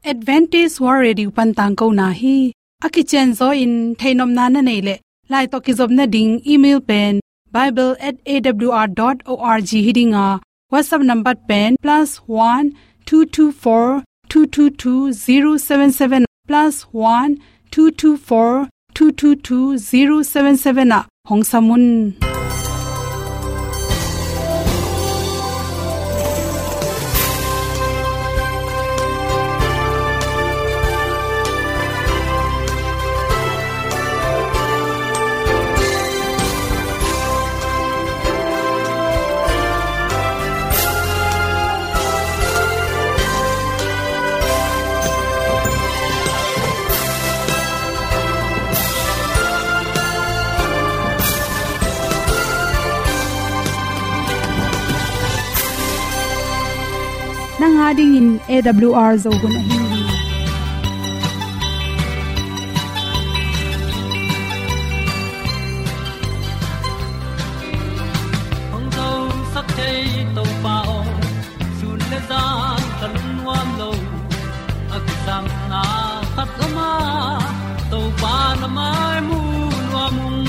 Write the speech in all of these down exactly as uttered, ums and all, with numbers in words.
Adventist World Radio pan tangkona hi. A kicianzaw in theihnopna na neih leh, lai tawh kizopna ding email pen bible at A W R dot org hi ding a, WhatsApp number pen plus one two two four two two two zero seven seven, plus one two two four two two two zero seven seven ah hong sam un. Nang a dingin A W R Zo hun ahi hi. Hong zosak thei Topa aw, sun le zan ka lungnuam lo. A kisapna khat om a, Topa na mai mu nuam ung.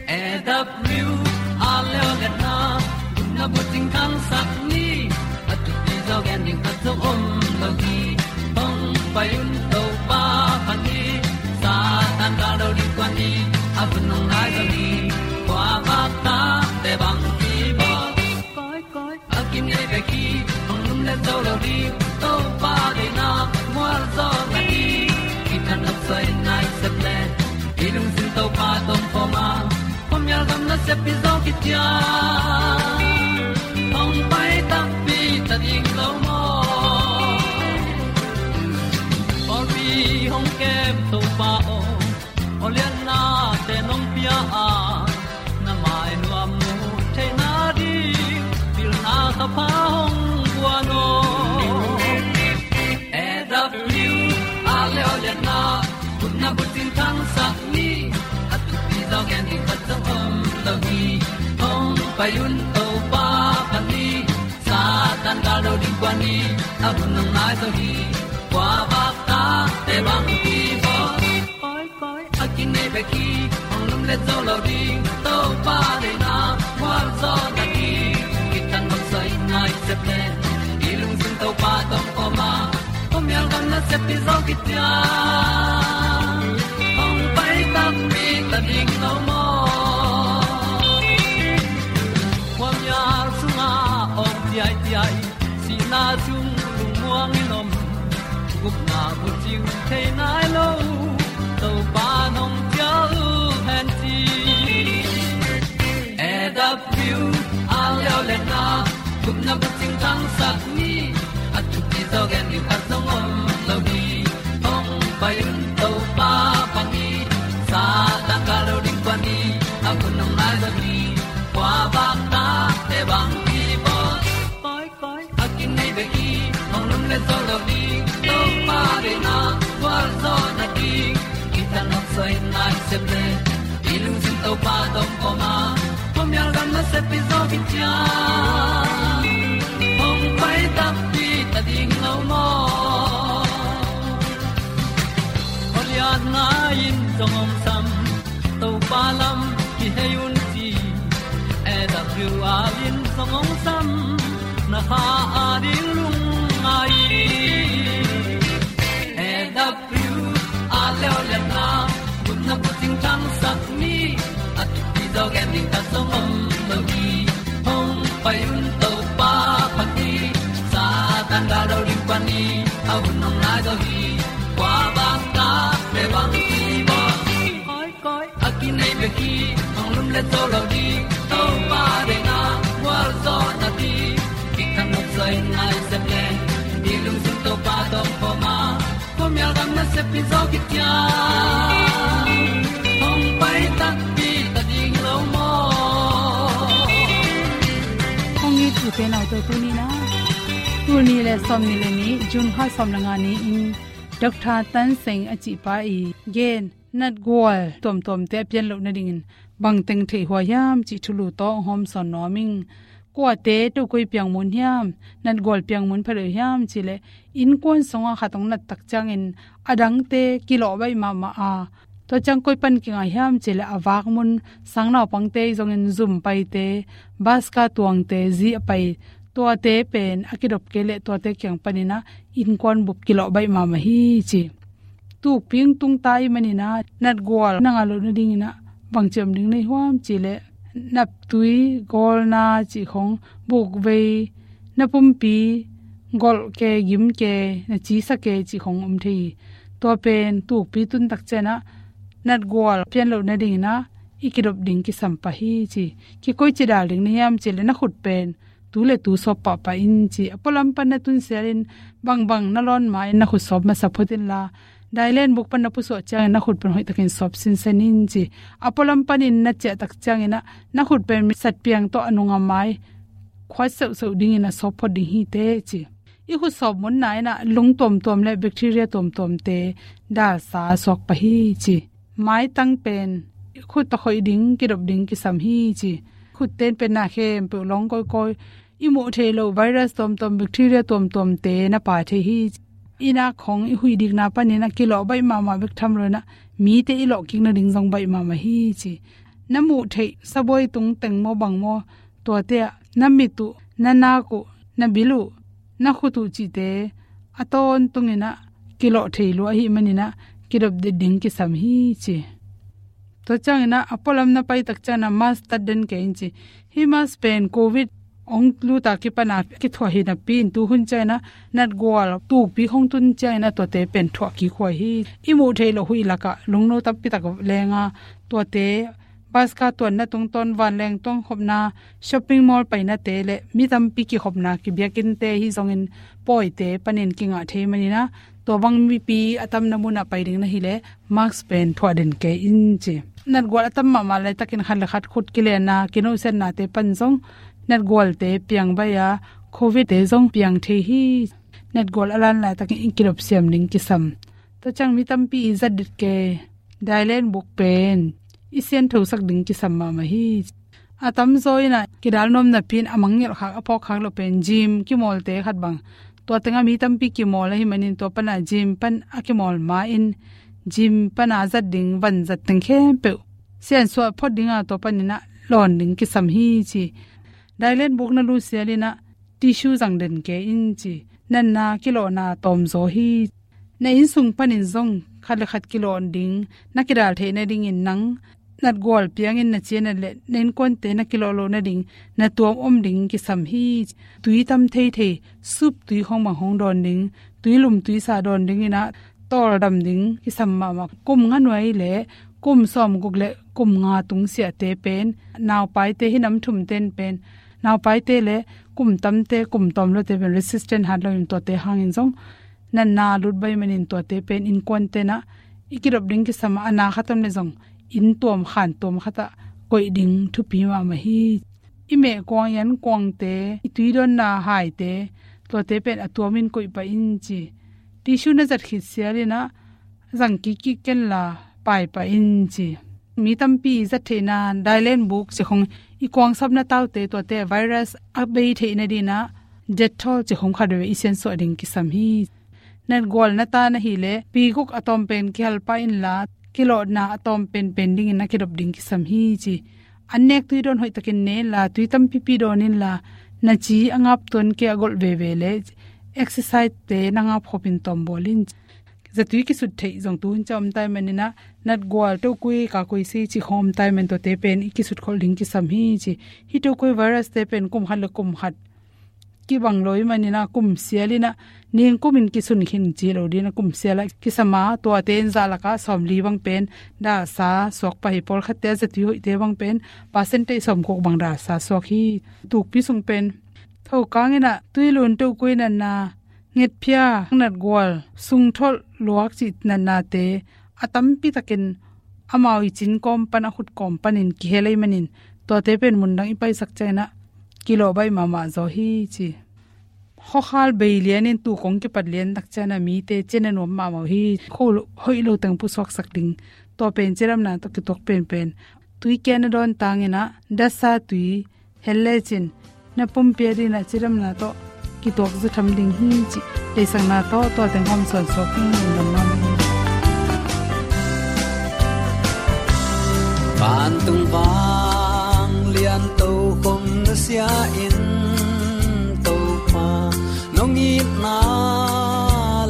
A W R leo le na, na bucing khangsak ni. A thupi zaw gen ding khat zong om lo hi. Hong pai un Topa phat ni. Satan ka lo ding kua ni. A hun hong nai zaw ni. Kua bak ta te bang ki bawl. Koi, koi, a kinei bek hi, hong lum le zo lo ding, Topa deihna mual zaw na hi. Kithan nop soi nai sep le, i lungsim Topa tawh om khawm a, khuamial gam nasep hi zaw kician. Hong pai takpi ta ding lo maw. Pawlpi hong kem Topa aw, aw liannate nong pia a, na mai nuam mu theihna ding, pilna ka pha hong guan aw. A W R leo le na, khutna bucing khangsak ni. A thupi zaw gen ding khat zong om lo hi. Hong pai un Topa phat ni. Satan ka lo ding kua ni. A hun hong nai zaw hi. Kua bak ta te bang ki bawl. Koi, koi, a kinei bek hi, hong lum le zo lo ding, Topa deihna mual zaw na hi. Kithan nop soi nai sep le, i lungsim Topa tawh om khawm a, khuamial gam nasep hi zaw kician. Hong pai takpi ta ding lo maw. Khuamial sungah om ciaiciai, sihna sung lungmuang in om, gupna bucing thei nai lo, Topa nong cial hen ci. A W R leo le na, gupna bucing khangsak ni. A thupi zaw gen ding khat zong om lo hi. Hong pai un Topa phat ni. Satan ka lo ding kua ni. A hun hong nai zaw hi. Kua bak ta te bang ki bawl. Koi, koi, a kinei bek hi, hong lum le zo lo ding, Topa deihna gual zaw na ding. Kithan nop soi nai sep le, i lungsim Topa tawh om khawm a, khuamial gam nasep hi zaw kician. Hong pai takpi ta ding lo maw. Aw lianna in zong hong sam, Topa lam kihei un ci. A W R in zong hong sam, na kha a ding lungngai. A W R leo le na, gupna bucing khangsak ni. A thupi zaw gen ding khat zong om lo hi. Hong pai un Topa phat ni. Satan ka lo ding kua ni. A hun hong nai zaw hi. Kua bak ta te bang ki bawl. Koi, koi, a kinei bek hi, hong lum le zo lo ding, Topa deihna gual zaw na hi. Kithan nop soi nai sep le, i lungsim Topa tawh om khawm a, khuamial gam nasep hi zaw kician. Hong pai takpi ta ding lo maw. Hong it u te nau te tuni na, tul nih le sawmnih le nih, June kha sawm le nga ni-in, Doctor Tan Seng a cihpa i gen natgual tuamtuamte a pian loh nadingin bangteng theihhuai hiam cih thulu tawh hong hawmsawn nuam ing. kuate tokui piang mun hiam, natgual piang mun pha lo hiam ci leh, innkuan sungah khat hong nat tak ciangin a dangte kilawh baih mahmah a, tua ciang koi pan kingah hiam ci leh, a vak mun sang naupangte zongin zum paite, bus ka tuangte, zi a pai, tuate pen a kidop kei leh tuate kiang panin ah innkuan bup kilawh baih mahmah hi ci. Tukpi hong tung ta ahih manin ah natgual na ngah loh nadingin ah bangci om ding na hi hiam ci leh, naptui, gawlna cih khong, bukvei, na pumpi golh ke, gim ke, na ci sa ke cih khong om thei hi. Tua pen tukpi tun tak ciang ah natgual pian loh nadingin ah i kidop ding kisam pah hi ci. Kikoici dal ding na hiam ci leh, na khut pen tu le tu sawp pahpah in ci. A pualam pan na tun sialin, bangbang na lawn ma-in na khut sawp masa phot inla, dailen buk pan na pusuah ciangin na khut pen hoihtakin sawp sinsen in ci. A pualam panin na ciah tak ciangin ah na khut pen mi satpiang tawh a nung a mai khuat seuhseuh dingin a sawp phot ding hi teh ci. I khut sawp munna in ah lung tuamtuam le bacteria tuamtuamte dalsa suak pah hi ci. Maitang pen khut a khoih ding, kidop ding kisam hi ci. Khut ten pen na khempeuh lawng kawikawi, i muh theih loh virus tuamtuam, bacteria tuamtuamte na pai thei hi. I nak khong i huih dikna panin ah kilawh baih mahmah bek tham lo-in ah mite i lawh kik nading zong baih mahmah hi ci. Na muh theih sabuai tung teng maw bang maw, tuate ah na mit uh, na nak uh, na bil uh, na khut uh cihte a tawntungin ah kilawh thei lua ahih manin ah kidop det ding kisam hi ci. Tua ciangin ah a pualam na pai tak ciangin ah mask tat den kei in ci. Hih mask pen covid hong lut a kipan a kithuah hi napi-in, tu hun ciangin ah natgual tukpi hong tun ciangin ah tuate pen thuah kik huai hi. I muh theih loh huih lakah lungno tampi tak leng a, tuate bus ka tuanna tungtawn, vanleng tuang khopna, shopping mall painate le mi tampi kikhopna, kibiakinnte hi zongin pawite panin kingah thei manin ah, tua bang mipi a tamna munah pai ding na hih leh mask pen thuah den kei in ci. Natgual a tam mahmah laitakin khat le khat khut kilenna, kinawhsiatnate pan zong natgualte piang baih a, covid-te zong piang thei hi. Natgual a lan laitakin i kidop siam ding kisam. Tua ciang mi tampi i zat det kei dailen buk pen i sianthosak ding kisam mahmah hi. A tamzaw in ah kidal nuam napi-in a mangngilh khak, a phawk khak loh pen gym kimawlte khat bang. Tua tengah mi tampi kimawl ahih manin tua pan ah gym pan a kimawl ma-in gym pan a zat ding vanzat teng khempeuh siansuah phot ding a, tua panin ah lawn ding kisam hi ci. Dailen buk na lut sialin ah tissue zang den kei in ci. Natna kilawhna tawmzaw hi. Na inn sung panin zong khat le khat kilawh ding na kidal theih nadingin nang natgual piangin na ci a nat leh na innkuante na kilawh loh nading na tuam om ding kisam hi. Tui tam theithei, sup tui khong bang hong dawn ding, tui lum tui sa dawn dingin ah tawldam ding kisam mahmah. Kum nga nuai le kum sawmguk le kum nga tungsiahte pen, naupaite hi nam thumte in pen, naupaite le kum tamte, kum tawm lote pen resistant hat lo in, tuate hangin zong natna lut baih manin tuate pen innkuante in ah i kidop ding kisam a, a na khat om leh zong inn tuam khan tuam khat ah koih ding thupi mahmah hi. I meh kuang, i an kuangte, i tui dawnna haite, tuate pen a tuamin koih pah in ci. Tissue na zat khit sialin ah zang kik kik kenla pai pah in ci. Mi tampi i zat theihna dailen buk ci khong, i kuang sapna taute, tuate virus a bei theih nadingin ah Dettol ci khong khat veve i siansuah ding kisam hi. Natgual na ta na hih leh pi guk a tawm pen kihal pah inla, kilawhna a tawm penpen dingin na kidop ding kisam hi ci. An nek tui dawn hoihtakin ne inla, tui tampipi dawn inla, na ci a ngap tuan kei a golh veve le exercise-te na ngap khopin tawm bawl in. Zatui kisut theih zong tu hun ciang om ta ahih manin ah, natgual tokui kakui si ci khong om ta ahih manin tuate pen i kisut khol ding kisam hi ci. Hih tokui virus-te pen kum khat le kum khat kibang lo ahih manin ah, kum sialin ah ningkumin kisun khin ci lo dingin ah, kum sial ah kisam a, tuate in zah lakah sawmli bang pen dalsa suak pah hi. Pawlkhatte a zatui hoihte bang pen percentage sawmguk bang dalsa suak hi. Tukpi sung pen thokang in ah tuilun, tokui natna, ngetphia, natgual, sungtholh luak cih natnate a tampi takin amau i cin kawm pan, a khut kawm panin kihel ahih manin, tuate pen mundang i paisak ciangin ah kilawh baih mahmah zaw hi ci. Khuakhal bei lianin tuu kong kipat lian tak ciangin ah mite cian a nuam mahmah uh hi. Khuahoih lo teng pusuaksak ding, tua pen cidamna tawh kituak penpen. Tui kia na dawn tangin ah dasa tui hel lecin na pumpi a dingin a cidamna tawh kituak zaw tham ding hi cih deihsakna tawh tua teng hawm suan suak hi. Lungdam mahmah. Vantung vanglian tokhom nusia in, Topa, nong itna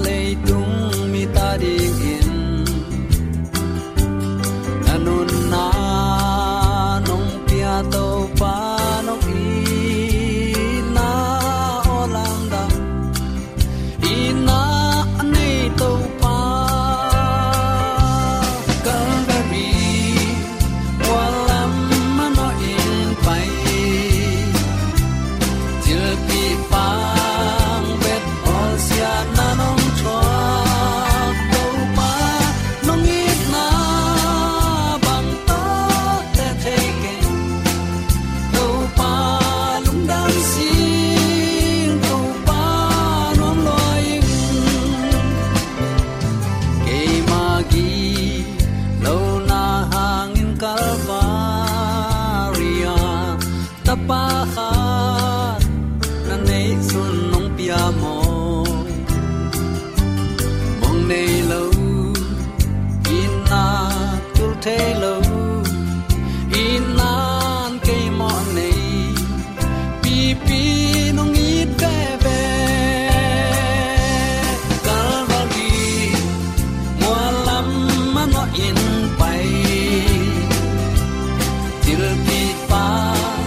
leitung mite adingin na nunna nong pia, Topa, nong itna aw lamdang. Itna a nei Topa, Calvary mual lam manawhin pai, cilpih pang bet bawlsiatna nong thuak, Topa, nong itna bang tawh teh thei keng. Topa, lungdam sing, Topa, nuam lua ing. Keima gilo na hangin Calvary ah Tapa khat na neih sun nong pia maw? Mong nei lo, itna tul thei lo, itna in kei mawh nei, pipi nong it veve. Calvary mual lam manawhin pai, cilpih pang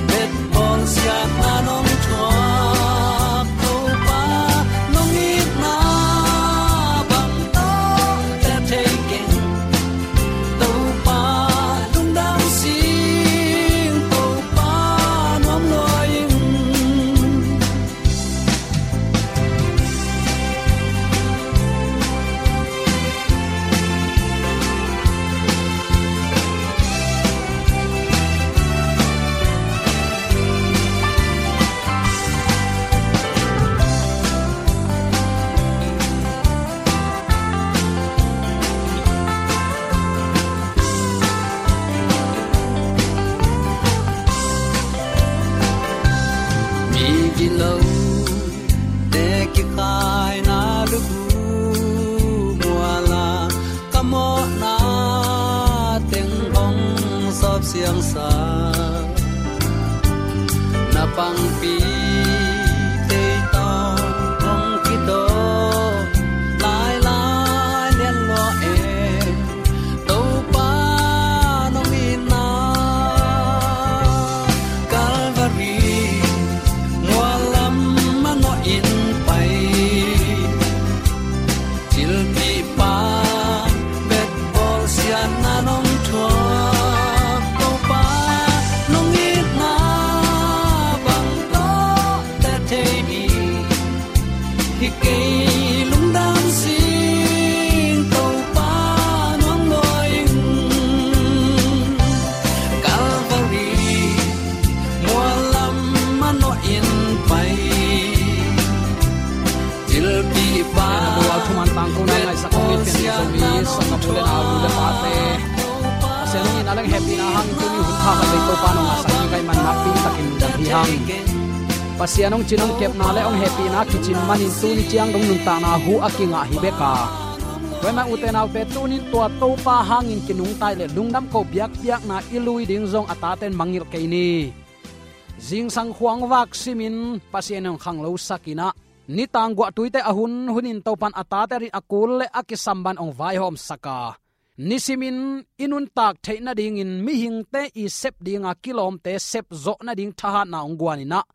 bet bawlsiatna nong thuak, Topa, nong itna bang tawh teh thei keng. Topa, lungdam sing, Topa, nuam lua ing. Mi gilo te kikhaina lubu mual ah ka mawhna teng hong sawp siangsa, na pangpi tei tawh hong kidawk lailai lian lua e. Topa, nong itna Calvary mual lam manawhin pai, cilpih pang bet bawlsiatna nong thuak, Topa, nong itna bang tawh teh thei ding hi kei. Lungdam sing, Topa, nuam lua ing. Calvary mual lam manawhin pai, cilpih pang. Tua thuman tangkona ngaihsak kong i pian Zomi sanggamnu le naunu le pate, Pasian hong itna le hehpihna hangin tuni hun pha khat vei Topa nong ngahsak ding ka hih man nakpi takin lungdam hi hang. Pasian hong cin hong kepna le hong hehpihna kicin manin tuni ciang dong nuntakna hu a kingah hi bek a, tua ahih man ute naute, tuni tua Topa hangin kinungta leh lungdam ko biakpiakna i lui ding zong a tate in mangngilh kei ni. Zingsang khua hong vak simin Pasian in hong khanglosak in ah, nitang guahtuite a hun hunin Topa in a tate adingin a kul le a kisamban hong vaihawmsak a, nisimin i nuntak theih nadingin mihingte i sep dinga kilawmte sep zawh nading thahatna hong guan in ah,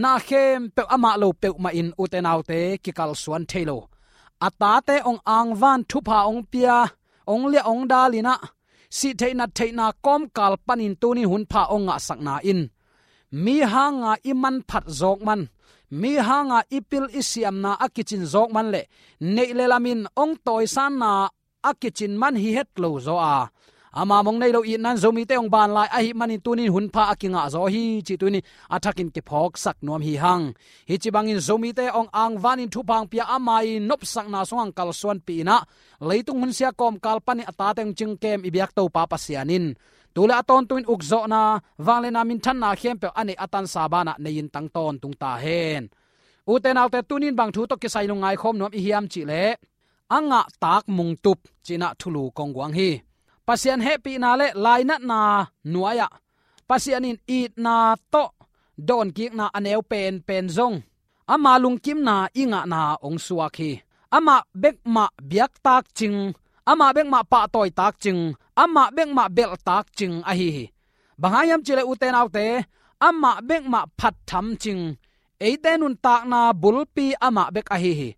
na khempeuh amah lo peuhmah in ute naute kikalsuan thei lo, a tate hong angvan thupha hong pia, hong liah hong dal in ah, sih theih nat theihna kawmkal panin tuni hun pha hong ngahsakna in mi hanga i manphat zawk man, mi hanga i pil i siamna a kicin zawk man le neih le lamin hong tawisanna a kicin man hi het lo zaw a, ama mong nei lo itna in Zomite hong ban lai ahih manin tuni in hun pha a kingah zaw hi cih tuni a thakin kiphawksak nuam hi hang. Hih ci bangin Zomite hong angvanin thupha hong pia ama i nopsakna sungah hong kalsuanpih in ah, leitung hunsia kawmkal panin a tate hong cingkem i biak Topa Pasian in Tu le a tawntungin ukzawhna, vangliatna, minthanna khempeuh a neih a tansa banah nei-in tang tawntung ta hen. Ute naute, tunin bang thu tawh kisai lungngai khawm nuam i hiam cihleh, a ngahtak mungtup cih in ah thulu kong guang hi. Pasian hehpihna le lainatna nuai-ah Pasian in itna tawh dawnkikna a neu penpen zong ama lungkimna i ngahna hong suak hi. Amah bek mah biaktak cing, amah bek mah pahtawitak cing, amah bek mah belhtak cing ahi hi. Bang hang hiam cihleh, ute naute, amah bek mah phattham cing, eite nuntakna bulpi amah bek ahi hi.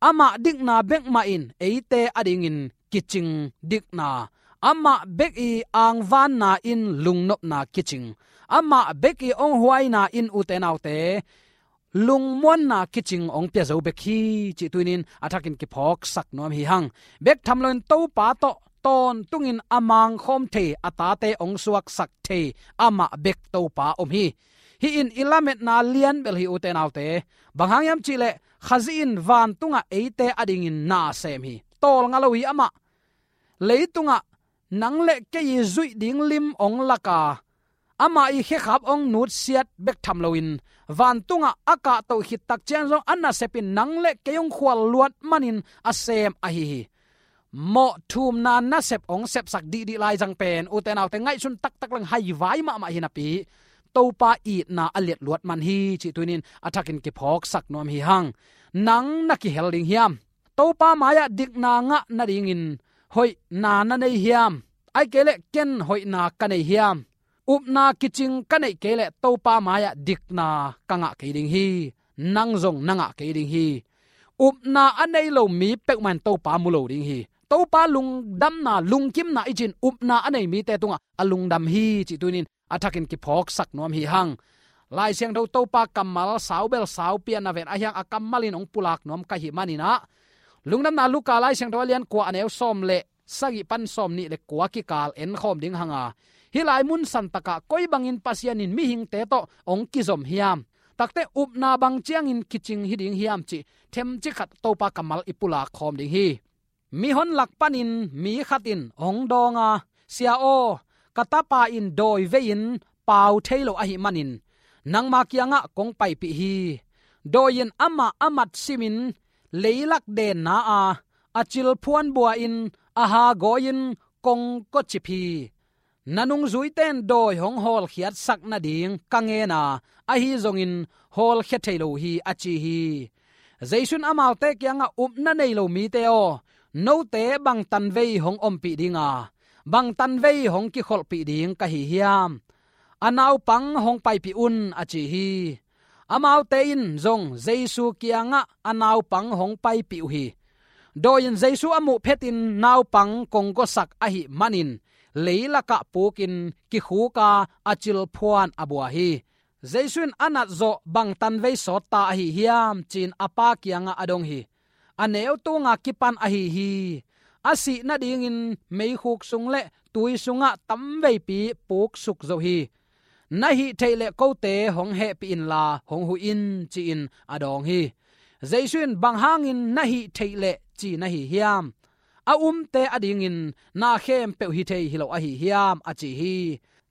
Amah dikna bek mah in eite adingin kicing dikna, amah bek i angvanna in lungnopna kicing, amah bek i hong huaina in, ute naute, lungmuanna kicing hong pia zo bek hi cih tunin a thakin kiphawksak nuam hi hang. Bek tham loin Topa tawh tawntungin a mangkhawm thei, a tate hong suaksak thei amah bek Topa om hi. Hih in i lametna lianbel hi, ute naute. Bang hang hiam cihleh, Khazih in vantungah eite adingin na sem hi. Tawlnga lo hi amah. Leitungah nang le kei i zuih ding lim hong lak a, amah i khekhap hong nutsiat bek tham loin, vantungah a kahtoh khit tak ciang zong a nasep in nang le kei hong khual luat manin a sem ahi hi. Mawh thumna nasep hong sepsak dihdih lai zang pen, ute naute, ngaihsun taktak leng haivai mahmah hi napi, Topa itna a liatluat man hi cih tunin a thakin kiphawksak nuam hi hang. Nang na kihel ding hiam? Topa mai-ah dikna ngah nadingin hoihna na nei hiam? Ahih kei leh ken hoihna ka nei hiam? Upna kicing ka neih kei leh Topa mai-ah dikna ka ngah kei ding hi. Nang zong na ngah kei ding hi. Upna a nei lo mi peuhmah in Topa mu lo ding hi. Topa lungdamna, lungkimna i cih in upna a nei mite tungah a lungdam hi cih tunin a thakin kiphawksak nuam hi hang. Lai Siangtho Topa kammal saubel saupi-a na ven ahi hang, a kammal in hong pulak nuam ka hih manin ah, Lungdamna Luka Lai Siangtho a lian kua, a neu sawm le sagih pan sawmnih le kua kikal en khawm ding hang a, hih lai mun santakah koi bangin Pasian in mihingte tawh hong kizom hiam? Takte upna bang ciangin kicing hi ding hiam cih themcik khat Topa kammal i pulak khawm ding hi. Mihon lak panin mi khat in hong dawng a, "Sia aw, ka tapa in dawi vei-in pau thei lo ahih manin nangma kiangah kong paipih hi. Dawi in amah a mat simin leilak denna a, a cilphuan bua-in a hagawi-in kongkocip hi. Na nungzuite in dawi hong hawlkhiatsak nading ka ngen a, ahi zongin hawlkhia thei lo hi," a ci hi. Jesu in amaute kiangah, "Upna nei lo mite aw, note bang tanvei hong ompih ding a, bang tanvei hong kikholhpih ding ka hi hiam? A naupang hong paipih un," a ci hi. Amaute in zong Jesu kiangah a naupang hong paipih uh hi. Dawi in Jesu a muh phetin naupang kongkocip ahih manin leilakah pukin kikhuk a, a cilphuan a bua hi. Jesu in a nat zawh bang tanvei sawt ta ahi hiam ci-in a pa kiangah a dong hi. "A neu tunga kipan ahi hi. A sih nadingin meikhuk sung le tui sungah tamveipi puksuk zo hi. Na hih theih leh kote hong hehpih inla hong huh in," ci-in a dawng hi. Jesu in, "Bang hangin na hih theih leh ci na hi hiam? A umte adingin na khempeuh hi thei hi lo ahi hiam?" a ci hi.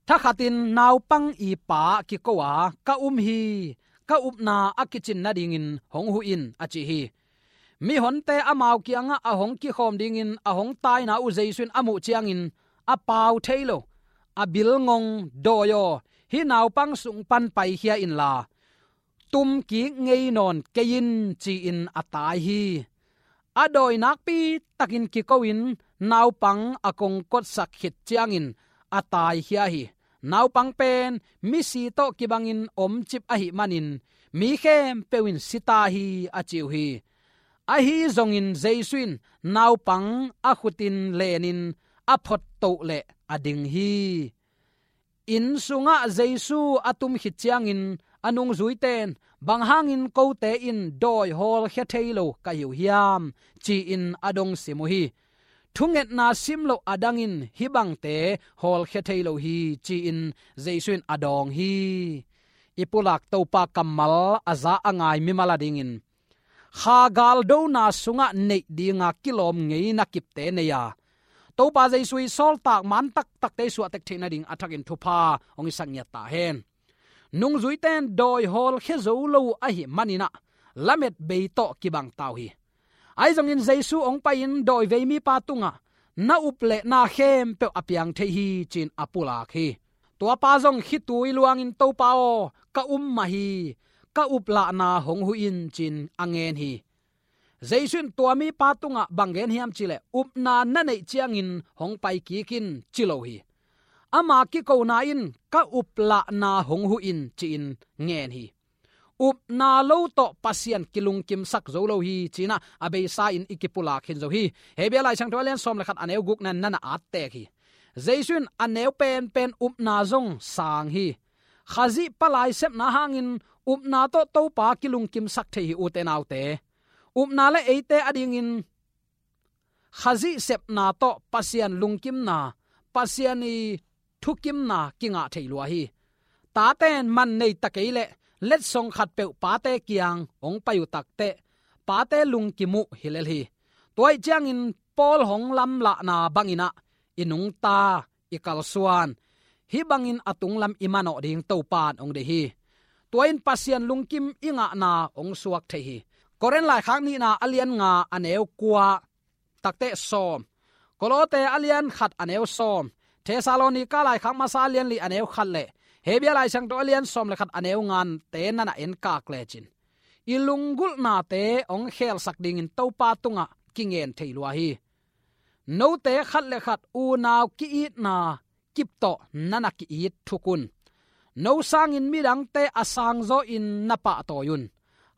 Thakhatin naupang i pa kiko a, "Ka um hi. Ka upna a kicin nadingin hong huh in," a ci hi. Mihonte amau kiangah a hong kikhawm dingin a hong taina uh Jesu in a muh ciangin a pau thei lo, a bilngong, "Dawi aw, hih naupang sung pan paikhia inla, tumkik ngei nawn kei in," ci-in a tai hi. A dawi nakpi takin kiko-in naupang a kongkotsak khit ciangin a taikhia hi. Naupang pen misi tawh kibangin omcip ahih manin mi khempeuh in si ta hi, a ci uh hi. Ahi zongin Jesu in naupang a khutin lenin a phottoh leh a ding hi. Inn sungah Jesu a tum khit ciangin a nungzuite in, "Bang hangin kote in dawi hawlkhia thei lo ka hi uh hiam?" ci-in a dong sim uh hi. "Thungetna sim loh adangin hih bangte hawlkhia thei lo hi," ci-in Jesu in a dawng hi. I pulak Topa kammal a za a ngai mimal adingin, kha galdona sungah neih dinga kilawm ngeina kipte nei a, Topa Jesu i sawltak man taktakte i suahtek theih nading a thakin thupha hong i sak ngiat ta hen. Nungzuite in dawi hawlkhia zo lo uh ahih manin ah lamet bei tawh kibang ta uh hi. Ahi zongin Jesu hong pai-in dawivei mipa tungah na up le na khempeuh a piang thei hi ci-in a pulak hi. Tuapa zong khitui luangin, "Topa aw, ka um mah hi, ka uplahna hong huh in," ci-in a ngen hi. Jesu in tua mipa tungah bang gen hiam cih leh, "Upna na neih ciangin hong pai kik in," ci lo hi. Ama kikona in, "Ka uplahna hong huh in," ci-in ngen hi. Upna lo tawh Pasian kilungkimsak zo lo hi ci-in ah a beisa in i kipulak khin zo hi. Hebru Laisiangtho a lian sawm le khat a neu gukna in na na at tek hi. Jesu in a neu penpen upna zong sang hi. Khazih palai sepna hangin upna tawh Topa kilungkimsak thei hi, ute naute. Upna le eite adingin Khazih sepna tawh Pasian lungkimna, Pasian i thukimna kingah thei lua hi. Tate in man nei ta kei leh letsong khatpeuh pate kiang hong pai uh takteh pate lungkim uh hi lel hi. Tua ahih ciangin Paul hong lamlahna bangin ah i nungta, i kalsuan, hih bangin a tunglam i manawh ding Topa in hong deih hi. Tua in Pasian lungkim i ngahna hong suak thei hi. Korin laikhak nihna a lian nga a neu kua takteh sawm, Kolose a lian khat a neu sawm, Thessalonika laikhak masa a lian li a neu khat le Hebru Laisiangtho a lian sawm le khat a neu ngate na na enkak lecin, i lunggulhnate hong khelsak dingin Topa tungah kingen thei lua hi. Note khat le khat unau ki-itna kip tawh na na ki-it thuk un. No sangin midangte a sangzaw in na pahtawi un.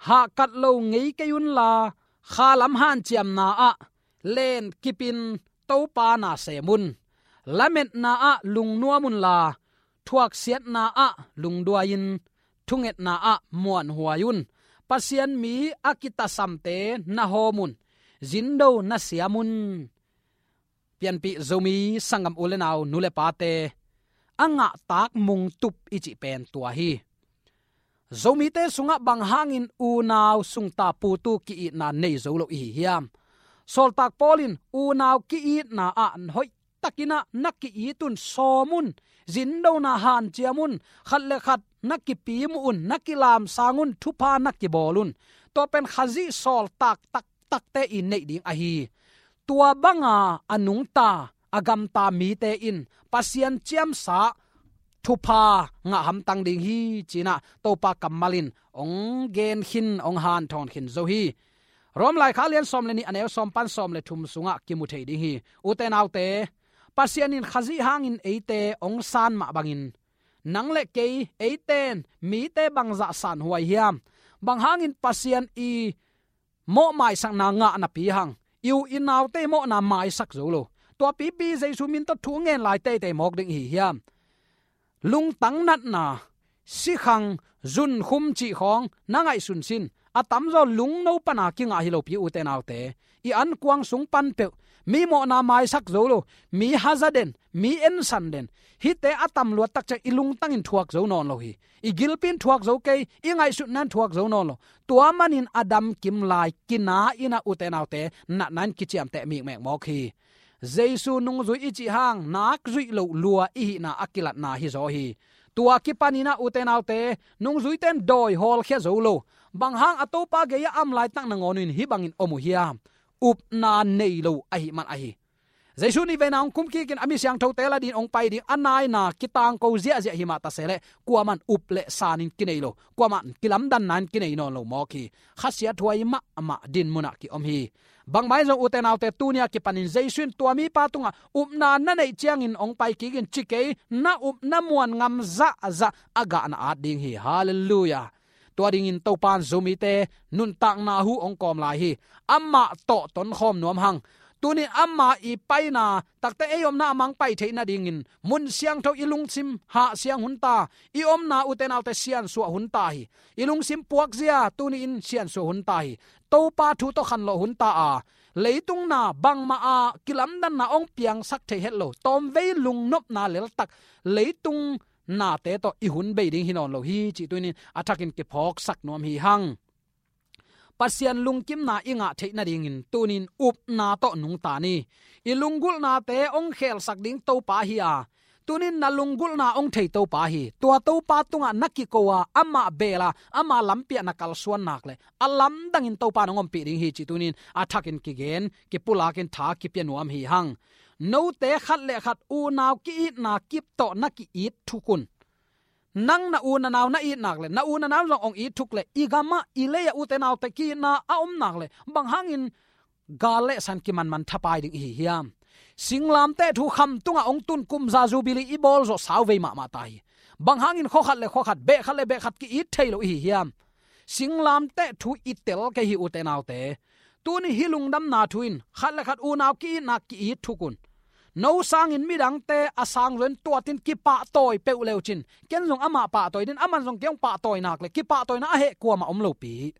Hahkat lo ngei kei unla, khalam hanciamna ah len kipin Topa na sem un. Lametna ah lungnuam unla, thuaksiatna ah lungduai-in, thungetna ah muanhuai un. Pasian mi a kitasamte na hawm un. Zindo na siam un. Pianpih Zomi sanggam u le nau, nu le pate, a ngahtak mungtup i cih pen tua hi. Zomite sungah bang hangin unau sungta putu ki-itna nei zo lo i hi hiam? Sawltak Paul in unau ki-itna ah hoihtakin ah na ki-it un, sawm un, zindona hanciam un, khat le khat na kipimu un, na kilamsang un, thupha na kibawl un. Tua pen Khazih sawltak taktakte i neih ding ahi. Tua banga a nungta, a gamta mite in Pasian ciamsa thupha ngah hamtang ding hi ci-in ah Topa kammal in hong gen khin, hong hanthawn khin zo hi. Rom laikhak lian sawm le nih a neu sawm pan sawm le thum sungah kimu thei ding hi. Ute naute, Pasian in Khazih hangin eite hong san mah bangin, nang le kei, eite in mite bangzah sanhuai hiam? Bang hangin Pasian i mawh maisakna ngah napi hang i u i naute i mawhna maisak zo lo, tua pipi Jesu min tawh thu ngen lai teitei mawk ding i hi hiam? Lungtang natna, sikhang, zunkhum cih khawng na ngaihsun sin. A tamzaw lungno pana kingah hi lopi, ute naute. I ankuang sung pan peuh mi mawhna maisak zo lo, mi haza den, mi ensan den, hihte a tam luat tak ciang i lungtangin thuak zo nawn lo hi. I gilpi in thuak zo kei, i ngaihsutna in thuak zo nawn lo. Tua manin a damkim lai kina in ah, ute naute, natna in kiciamteh mikmek mawk hi. Jesu nungzui i cih hang nak zuih loh lua i hihna a kilatna hi zaw hi. Tua kipanin ah, ute naute, nungzuite in dawi hawlkhia zo lo. Bang hang a Topa gei-ah a om laitak nangawn in hih bangin om uh hiam? Upna nei lo ahih man ahi. Jesu in veina hong kum kikin a mi siangthote la dingin hong pai ding, a naina kitangko ziahziah hi mah ta se leh, kuamah in up le sanin kinei lo, kuamah in kilamdanna in kinei nawn lo mawk hi. Khasiathuai mahmah din munah ki-om hi. Bangmah in zong, ute naute, tuni a kipanin Jesu in tua mipa tungah upna na neih ciangin hong pai kik in ci kei, na up na muan ngam zahzah a gah na at ding hi. Halleluiah. Tua dingin Topa in Zomite nuntakna hu hong kawm lai hi. Amah tawh tonkhawm nuam hang. Tunin ama i paina takte ei omna a mang pai theih nadingin mun siangtho i lungsim hahsiang hun ta. I omna, ute naute, siansuah hun ta hi. I lungsim puakzia tuni-in siansuah hun ta hi. Topa thu tawh khanlawh hun ta a, leitung na bangmah a kilamdanna hong piangsak thei het lo, tawmvei lungnopna leltak leitung nate tawh i hun bei ding hi nawn lo hi cih tunin a thakin kiphawksak nuam hi hang. Pasian lungkimna i ngah theih nadingin tunin upna tawh nungta ni. I lunggulhnate hong khelsak ding Topa hi a, tunin na lunggulhna hong thei Topa hi. Tua Topa tungah na kiko a, amah beel a, ama lampi ah na kalsuan nak leh a lamdangin Topa in hong ompih ding hi cih tunin a thakin kigen, kipulakin tha kipia nuam hi hang. Note khat le khat unau ki-itna kip tawh na ki-it thuk un. Nang na u na nau na it nak leh, na u na nau zong hong it thuk leh, i gamah i lei-ah ute naute ki-itna a om nak leh, bang hangin gal le san kimanman thapai ding i hi hiam? Singlamteh thu kham tungah hong tun kum za Jubilee i bawl zawh sau vei mahmah ta hi. Bang hangin khua khat le khua khat, beh khat le beh khat ki-it thei lo i hi hiam? Singlamteh thu i tel kei hi ute naute. Tuni hih lungdamna thu in khat le khat unau ki-itna ki-it thuk un. No sangin midangte a sang zong tuatin kipahtawi peuh leu cin, ken zong amah pahtawi ding, aman zong kei hong pahtawi nak leh kipahtawina a heh kuamah om lopi.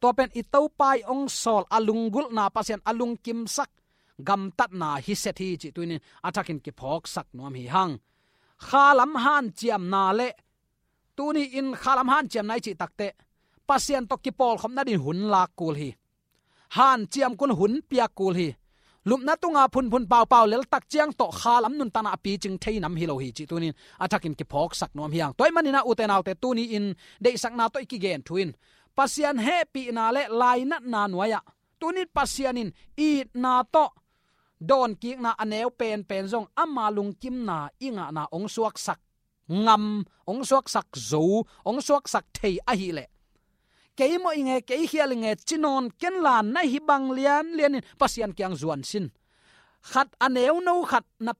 Tua pen i Topa i hong sawl a lunggulhna, Pasian a lungkimsak gamtatna hi set hi cih tunin a thakin kiphawksak nuam hi hang. Khalam hanciamna le, tuni in khalam hanciamna i cih takteh Pasian tawh kipawlkhopna ding hun lak kul hi. Hanciam kul, hun piak kul hi. Lupna tunga phunphun paupau leltak ciang tawh khalam nuntakna a picing thei nam hi lo hi cih tunin a thakin kiphawksak nuam hi hang. Tua ahih manin ah ute naute, tuni in deihsakna tawh i kigen thu in Pasian hehpihna le lainatna nuai-ah tunin Pasian in itna tawh dawnkikna a neu penpen zong ama lungkimna i ngahna hong suaksak ngam, hong suaksak zo, hong suaksak thei ahih leh, kei mawh ing e, kei khial ing e ci nawn ken la, na hih bang lianlian in Pasian kiang zuan sin. Khat a neuno khat na,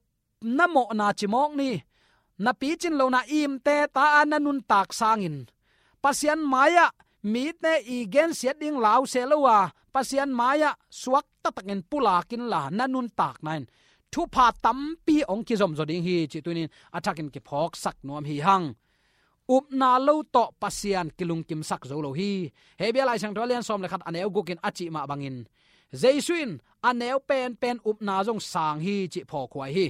na mawhna ci mawk ni. Na picin lohna imte ta a na nuntak sangin Pasian mai-ah mite i gensiat ding lau se lo a, Pasian mai-ah suak taktakin pulak inla, na nuntakna in thupha tampi hong kizomzaw ding hi cih tunin a thakin kiphawksak nuam hi hang. Upna lo tawh Pasian kilungkimsak zo lo hi. Hebru Lai Siangtho a lian sawm le khat a neu guk in a cih mah bangin, Jesu in a neu penpen upna zong sang hi cih phawkhuai hi.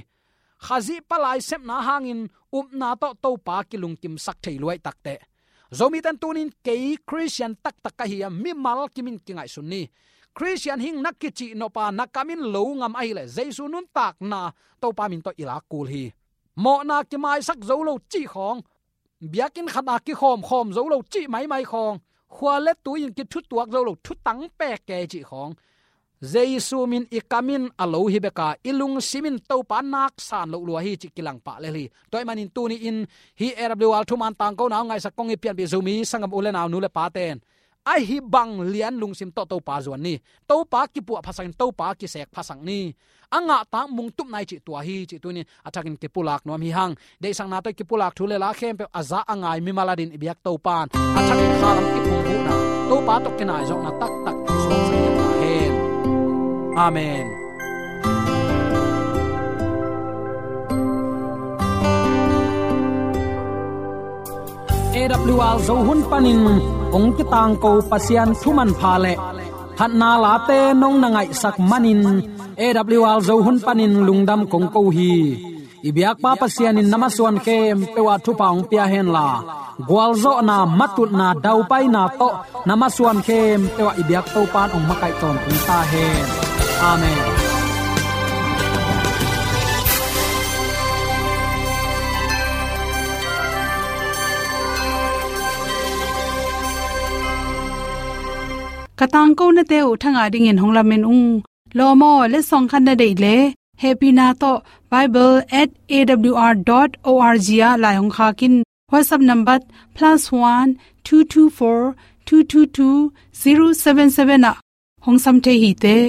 Khazih palai sepna hangin upna tawh Topa kilungkimsak thei luai takteh, Zomite in tunin kei Khristian taktak ka hi a, mimal kimin kingaihsun ni. Khristian hing na kicih nop a na kam in lo ngam ahih leh Jesu nuntakna Topa min tawh i lak kul hi. Mawhna kimaisak zo lo cih khawng, biakinn khat a kikhawmkhawm zo lo cih maimai khawng, khua le tui in kithutuak zo lo, thutang pek kei cih khawng, Jesu min i kam in a lo hi bek a, i lungsim in Topa nak san loh lua hi cih kilang pah lel hi. Tua ahih manin tuni in hih A W R thuman tangkona hong ngaihsak kong i pianpih Zomi sanggam u le nau, nu le pate'n a hih bang lian lungsim tawh Topa zuan ni. Topa kipuah phasak in, Topa kisek phasak ni. A ngahtak mungtup nai cih tua hi cih tunin a thakin kipulak nuam hi hang. Deihsakna tawh kipulak thu le la khempeuh a za a ngai mimal adingin i biak Topa'n a thakin khalam kiphungvuhna, Topa tawh kinaizawhna taktak suaksak ta hen. Amen. A W R Zo hun panin hong kitangko Pasian thuman pha le phatna late nong na ngaihsak manin A W R Zo hun panin lungdam kong ko hi. I biakpa Pasian in na masuan khempeuh ah thupha hong pia henla, gualzawhna, matutna, daupaina tawh na masuan khempeuh ah i biak Topa'n hong makaih tawntung ta hen. Amen. Ka tangkonate uh thangah dingin hong lamen ung. Lawm aw, letsong khat na deih leh, hehpihna tawh bible at A W R dot O R G ah lai hong khak in. WhatsApp number plus one two two four two two two zero seven seven ah hong sam thei hi teh.